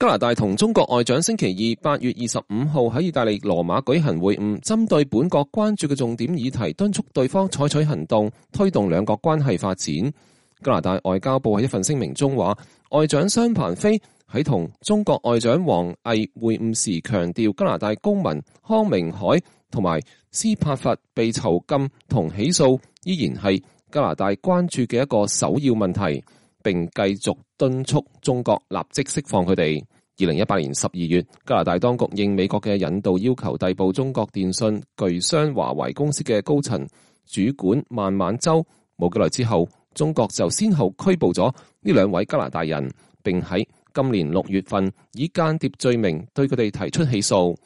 加拿大同中國外長星期二8月25號喺意大利羅馬舉行會晤，針對本國關注嘅重點議題，敦促對方採取行動，推動兩國關係發展。加拿大外交部喺一份聲明中話，外長商鵬飛喺同中國外長王毅會晤時強調，加拿大公民康明凱同埋斯帕弗被囚禁同起訴依然係加拿大關注嘅一個首要問題，並繼續敦促中國立即釋放佢哋。2018年12月，加拿大當局應美國嘅引導要求，逮捕中國電信巨商華為公司嘅高層主管孟晚舟。冇幾耐之後，中國就先後拘捕咗呢兩位加拿大人，並喺今年6月份以間諜罪名對佢哋提出起訴。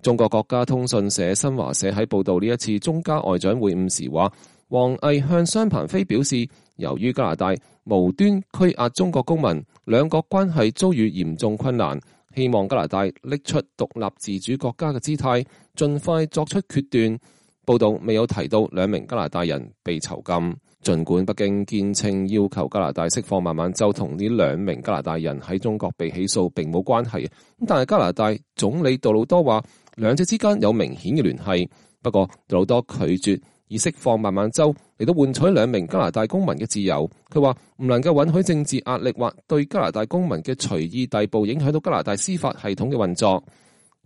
中國國家通訊社新華社喺報道呢一次中加外長會晤時話，王毅向商鵬飛表示，由於加拿大無端拘押中國公民，兩國關係遭遇嚴重困難，希望加拿大拎出獨立自主國家嘅姿態，盡快作出決斷。報道未有提到兩名加拿大人被囚禁。儘管北京堅稱要求加拿大釋放孟晚舟同呢兩名加拿大人喺中國被起訴並冇關係，但係加拿大總理杜魯多話兩者之間有明顯嘅聯繫。不過杜魯多拒絕以釋放孟晚舟嚟到換取兩名加拿大公民嘅自由。佢話唔能夠允許政治壓力或對加拿大公民嘅隨意逮捕影響到加拿大司法系統嘅運作。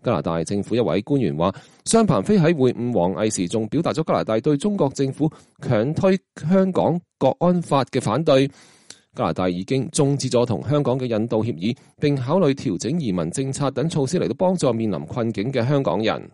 加拿大政府一位官員話，商鵬飛喺會晤王毅時仲表達咗加拿大對中國政府強推香港國安法嘅反對。加拿大已經終止咗同香港嘅引渡協議，並考慮調整移民政策等措施嚟到幫助面臨困境嘅香港人。